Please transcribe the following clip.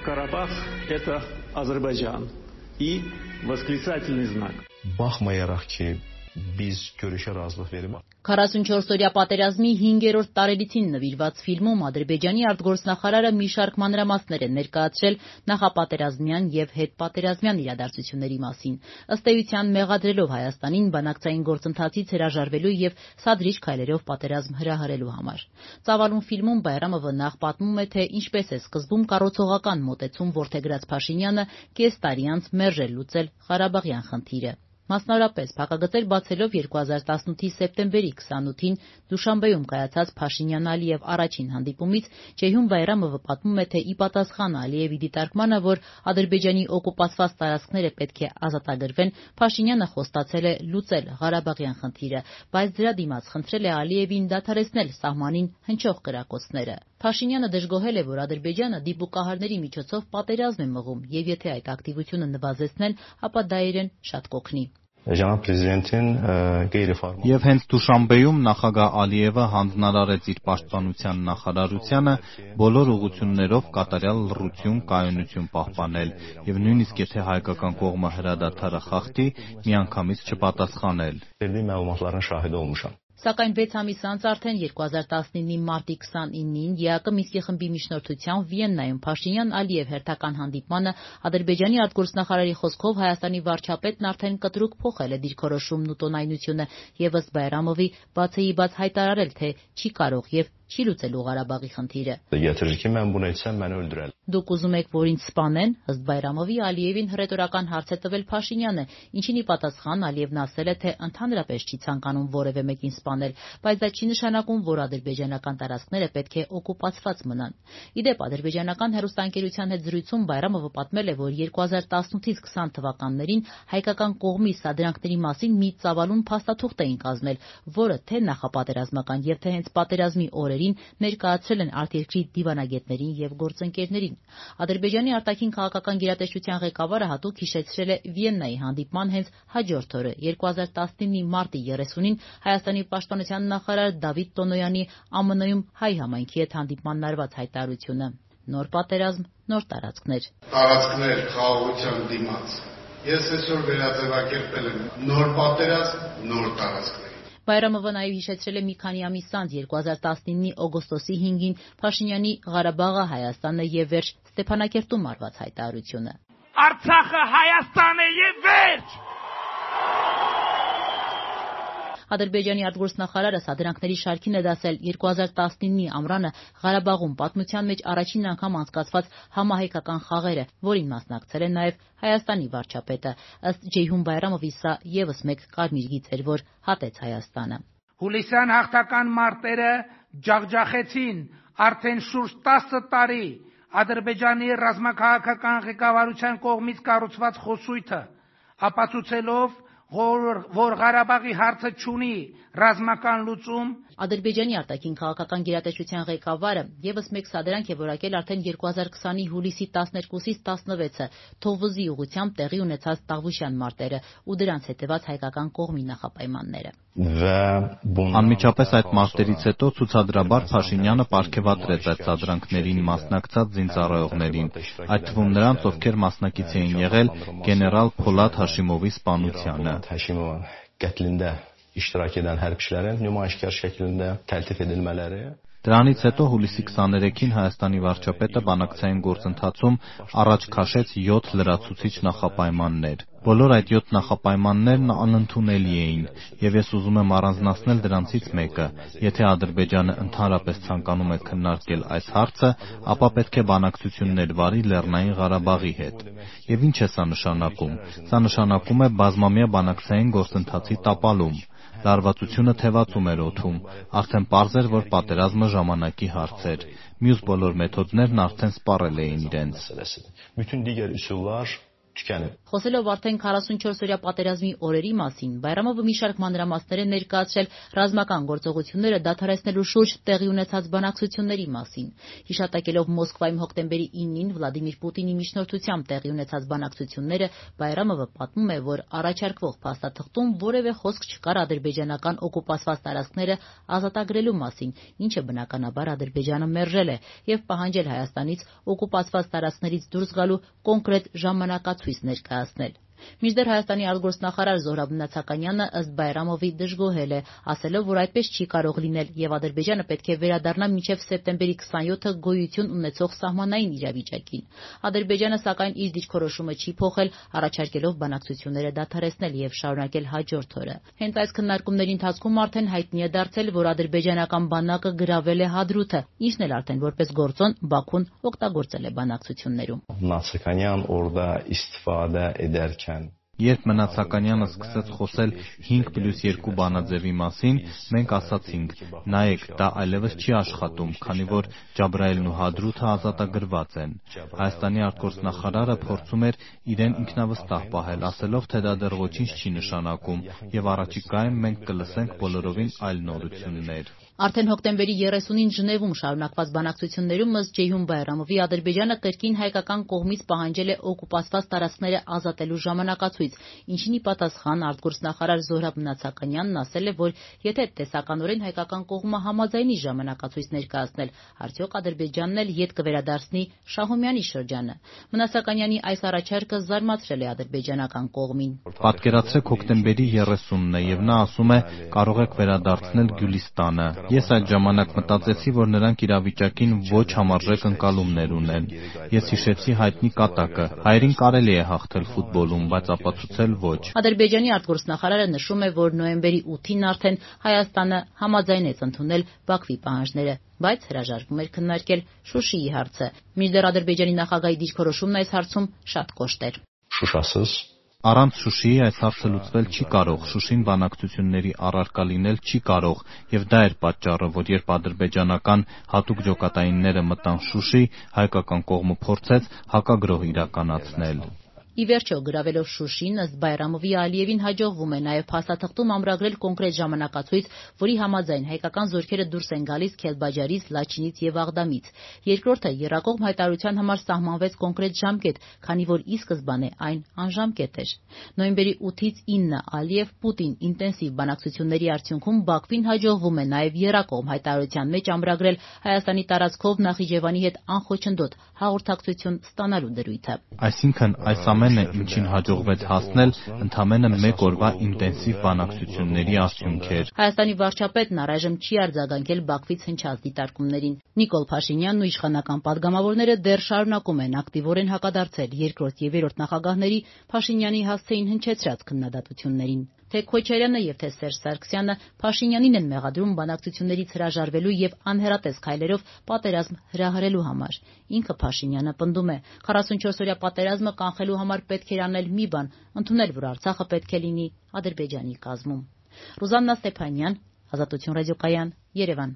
Карабах – это Азербайджан. И восклицательный знак. Baxmayaraq ki, biz görüşə razılıq verib 44-օրյա պատերազմի 5-րդ տարելիցին նվիրված ֆիլմում Ադրբեջանի արտգործնախարարը մի շարք մանրամասներ է ներկայացրել նախապատերազմյան եւ հետպատերազմյան իրադարձությունների մասին, ըստ էության մեղադրելով Հայաստանին բանակցային գործընթացից հրաժարվելու եւ սադրիչ քայլերով պատերազմ հրահրելու համար։ Ծավալուն ֆիլմում Բայրամովը նախ պատմում է, թե ինչպես է սկզբում կառուցողական մոտեցում որդեգրած Փաշինյանը կես տարի անց մերժել լուծել Ղարաբաղյան խնդիրը։ Մասնավորապես փակագծեր բացելով 2018-ի սեպտեմբերի 28-ին Դուշանբեում կայացած Փաշինյան-Ալիև առաջին հանդիպումից Ceyhun Bayramova պատմում է, թե ի պատասխան Ալիևի դիտարկմանը, որ Ադրբեջանի օկուպացված տարածքները պետք է ազատագրվեն, Փաշինյանը խոստացել է լուծել Ղարաբաղյան խնդիրը, բայց դրա դիմաց խնդրել է Ալիևին դադարեցնել սահմանին հնչող կրակոցները։ Փաշինյանը դժգոհել է, որ Ադրբեջանը դիպուկահարների միջոցով պատերազմ է մղում, եւ եթե այդ ակտիվությունը նվազեցնել, ապա դա իրեն շատ կօգնի։ Cənab Prezidentin qeyri-formal Եվ հենց Դուշանբեում նախագահ Ալիևը հանձնարարեց իր պաշտպանության նախարարությանը բոլոր ուղղություններով կատարյալ լռություն, կայունություն պահպանել եւ նույնիսկ եթե հայկական կողմը հրադադարը խախտի, միանգամից չպատասխանել։ verdiyi məlumatların şahidi olmuşam. Սակայն 6 ամիս անց արդեն 2019-ի մարտի 29-ին ԵԱԿ Մինսկի խմբի միջնորդությամբ Վիեննայում Փաշինյան-Ալիև հերթական հանդիպմանը Ադրբեջանի արտգործնախարարի խոսքով Հայաստանի վարչապետն արդեն կտրուկ փոխել է դիրքորոշումն ու տոնայնությունը եւ ըստ Բայրամովի բացեիբաց հայտարարել, թե չի կարող եւ չի լուծելու Ղարաբաղի խնդիրը։ Gətirir ki, mən bunu etsəm məni öldürər. Դուք ուզում եք, որ ինձ սպանեն, ըստ Բայրամովի Ալիևին հռետորական հարց է տվել Փաշինյանը, ինչին ի պատասխան Ալիևն ասել է, թե ընդհանրապես չի ցանկանում որևէ մեկին սպանել, բայց դա չի նշանակում, որ ադրբեջանական տարածքները պետք է օկուպացված մնան։ Իդեպ ադրբեջանական հեռուստաընկերության հետ զրույցում Բայրամովը պատմել է, որ 2018-ից 20 թվականներին հայկական կողմի սադրանքների մասին մի ծավալուն փաստաթուղթ էին կազմել, որը թե նախապատերազմական եւ թե հենց պատերազմի օրերին ներկայացրել են արտերկրի դիվանագետներին եւ գործընկերներին։ Ադրբեջանի արտաքին քաղաքական գերատեսչության ղեկավարը հատուկ հիշեցրել է Վիեննայի հանդիպման հենց հաջորդ օրը 2019-ի մարտի 30-ին Հայաստանի պաշտպանության նախարար Դավիթ Տոնոյանի ԱՄՆ-ում հայ համայնքի հետ հանդիպմանն արված հայտարարությունը։ Նոր պատերազմ, նոր տարածքներ։ Տարածքներ խաղաղության դիմաց։ Ես այսօր վերաձևակերպել եմ նոր պատերազմ, նոր տարածքներ։ Բայրամովը նաև հիշեցրել է մի քանի ամիս անց 2019-ի օգոստոսի 5-ին Փաշինյանի Ղարաբաղը Հայաստանը եւ վերջ Ստեփանակերտում արված հայտարարությունը։ Արցախը Հայաստան է եւ վերջ։ Ադրբեջանի արտգործնախարարը սադրանքների շարքին է դասել 2019-ի ամռանը Ղարաբաղում պատմության մեջ առաջին անգամ անցկացված համահայկական խաղերը, որին մասնակցել է նաև Հայաստանի վարչապետը։ Ըստ Ceyhun Bayramovի սա եւս մեկ կարմիր գիծ էր, որ հատեց Հայաստանը։ Հուլիսյան հաղթական մարտերը ջախջախեցին արդեն շուրջ 10 տարի Ադրբեջանի ռազմաքաղաքական ղեկավարության կողմից կառուցված խոսույթը, ապացուցելով, որ Ղարաբաղի հարցը չունի ռազմական լուծում։ Ադրբեջանի արտաքին քաղաքական գերատեսչության ղեկավարը եւս մեկ սադրանք է որակել արդեն 2020-ի հուլիսի 12-ից 16-ը Թովուզի ուղղությամբ տեղի ունեցած Տաղուշյան մարտերը ու դրանց հետևած հայկական կողմի նախապայմանները։ Անմիջապես այդ մարտերից հետո ցուցադրաբար Փաշինյանը պարգևատրեց այդ սադրանքներին մասնակցած զինծառայողներին, այդ թվում նրանց, ովքեր մասնակից էին եղել գեներալ Փոլադ Հաշիմովի սպանությանը։ İştirak edən hərbçilərin nümayişkar şəklində təltif edilmələri. Դրանից հետո հուլիսի 23-ին Հայաստանի վարչապետը բանակցային գործընթացում առաջ քաշեց 7 լրացուցիչ նախապայմաններ։ Բոլոր այդ 7 նախապայմաններն անընդունելի էին, եւ ես ուզում եմ առանձնացնել դրանցից մեկը։ Եթե Ադրբեջանը ընդհանրապես ցանկանում է քննարկել այս հարցը, ապա պետք է բանակցություններ վարի Լեռնային Ղարաբաղի հետ։ Եվ ինչ է սա նշանակում։ Սա նշանակում է բազմամյա բանակցային գործընթացի տապալում։ Լարվածությունը թևածում էր օդում, արդեն պարզ էր, որ պատերազմը ժամանակի հարց էր։ Մյուս բոլոր մեթոդներն արդեն սպառել էին իրենց։ Bütün digər üsullar tükənib. Խոսելով արդեն 44-օրյա պատերազմի օրերի մասին, Բայրամովը մի շարք մանրամասներ է ներկայացրել ռազմական գործողությունները դադարեցնելու շուրջ տեղի ունեցած բանակցությունների մասին։ Հիշատակելով Մոսկվայում հոկտեմբերի 9-ին Վլադիմիր Պուտինի միջնորդությամբ տեղի ունեցած բանակցությունները, Բայրամովը պատմում է, որ առաջարկվող փաստաթղթում որևէ խոսք չկար ադրբեջանական օկուպացված տարածքները ազատագրելու մասին, ինչը բնականաբար Ադրբեջանը մերժել է եւ պահանջել Հայաստանից օկուպացված տարածքներից դուրս գալու կոնկրետ ժամանակացույց ներկայացնել։ Մինչդեռ Հայաստանի արտգործնախարար Զոհրաբ Նացականյանը ըստ Բայրամովի դժգոհել է, ասելով, որ այդպես չի կարող լինել եւ Ադրբեջանը պետք է վերադառնա մինչեւ սեպտեմբերի 27-ը գոյություն ունեցող սահմանային իրավիճակին։ Ադրբեջանը սակայն իր դիրքորոշումը չի փոխել, առաջարկելով բանակցությունները դադարեցնել եւ շարունակել հաջորդ օրը։ Հենց այս քննարկումների ընթացքում արդեն հայտնի է դարձել, որ ադրբեջանական բանակը գրավել է Հադրութը, ինչն էլ արդեն որպես գործոն Բաքուն օգտագործել է բանակցություններում։ Նացականյան orada istifadə edərkən Երբ Մնացականյանը սկսեց խոսել 5+2 բանաձևի մասին, մենք ասացինք, նայեք, դա այլևս չի աշխատում, քանի որ Ջաբրայելն ու Հադրութը ազատագրված են։ Հայաստանի արտգործնախարարը փորձում էր իրեն ինքնավստահ պահել, ասելով, թե դա դեռ ոչինչ չի նշանակում, եւ առաջիկայում մենք կլսենք բոլորովին այլ նորություններ։ Արդեն հոկտեմբերի 30-ին Ժնևում շարունակված բանակցություններում ըստ Ջեյհուն Բայրամովի Ադրբեջանը կրկին հայկական կողմից պահանջել է օկուպացված տարածքները ազատելու ժամանակացույց, ինչին ի պատասխան արտգործնախարար Զոհրաբ Նացականյանն ասել է, որ եթե տեսականորեն հայկական կողմը համաձայնի ժամանակացույց ներկայացնել, արդյոք Ադրբեջանն էլ ետ կվերադարձնի Շահումյանի շրջանը։ Մնացականյանի այս առաջարկը զարմացրել է ադրբեջանական կողմին։ Պատկերացրեք հոկտեմբերի 30-ն է եւ նա ասում է կարող եք վերադարձնել Գյուլիստանը։ Ես այդ ժամանակ մտածեցի, որ նրանք իրավիճակին ոչ համարժեք ընկալումներ ունեն։ Ես հիշեցի հայտնի կատակը. հայերին կարելի է հաղթել ֆուտբոլում, բայց ապացուցել ոչ։ Ադրբեջանի արտգործնախարարը նշում է, որ նոյեմբերի 8-ին արդեն Հայաստանը համաձայնեց ընդունել Բաքվի պահանջները, բայց հրաժարվում էր քննարկել Շուշիի հարցը։ Մինչդեռ Ադրբեջանի նախագահի դիրքորոշումն այս հարցում շատ կոշտ էր։ Շուշասız Առանց Շուշիի այս հարցը լուծվել չի կարող, Շուշին բանակցությունների առարկա լինել չի կարող, եւ դա էր պատճառը, որ երբ ադրբեջանական հատուկ ջոկատայինները մտան Շուշի, հայկական կողմը փորձեց հակագրոհ իրականացնել։ Ի վերջո, գրավելով Շուշին, ըստ Բայրամովի Ալիևին հաջողվում է նաև փաստաթղթում ամրագրել կոնկրետ ժամանակացույց, որի համաձայն հայկական զորքերը դուրս են գալիս Քելբաջարից, Լաչինից եւ Աղդամից։ Երկրորդը եռակողմ հայտարարության համար սահմանվեց կոնկրետ ժամկետ, քանի որ ի սկզբանե այն անժամկետ էր։ Նոյեմբերի 8-ից 9 Ալիև-Պուտին ինտենսիվ բանակցությունների արդյունքում Բաքվին հաջողվում է նաև եռակողմ հայտարարության մեջ ամրագրել Հայաստանի տարածքով Նախիջևանի հետ անխոչնդոտ հաղորդակցություն ստանալու դրույթը։ Այսինքն այս ամենը, ինչին հաջողվեց հասնել, ընդամենը մեկ օրվա ինտենսիվ բանակցությունների արդյունք էր։ Հայաստանի վարչապետն առայժմ չի արձագանքել Բաքվից հնչած դիտարկումներին։ Նիկոլ Փաշինյանն ու իշխանական պատգամավորները դեռ շարունակում են ակտիվորեն հակադարձել երկրորդ եւ երրորդ նախագահների Փաշինյանի հասցեին հնչեցրած քննադատություններին։ Թե Քոչարյանը եւ թե Սերժ Սարգսյանը Փաշինյանին են մեղադրում բանակցություններից հրաժարվելու եւ անհերատես քայլերով պատերազմ հրահրելու համար։ Ինքը Փաշինյանը պնդում է, 44-օրյա պատերազմը կանխելու համար պետք էր անել մի բան, ընդունել, որ Արցախը պետք է լինի Ադրբեջանի կազմում։ Ռուզաննա Ստեփանյան, Ազատություն ռադիոկայան, Երևան։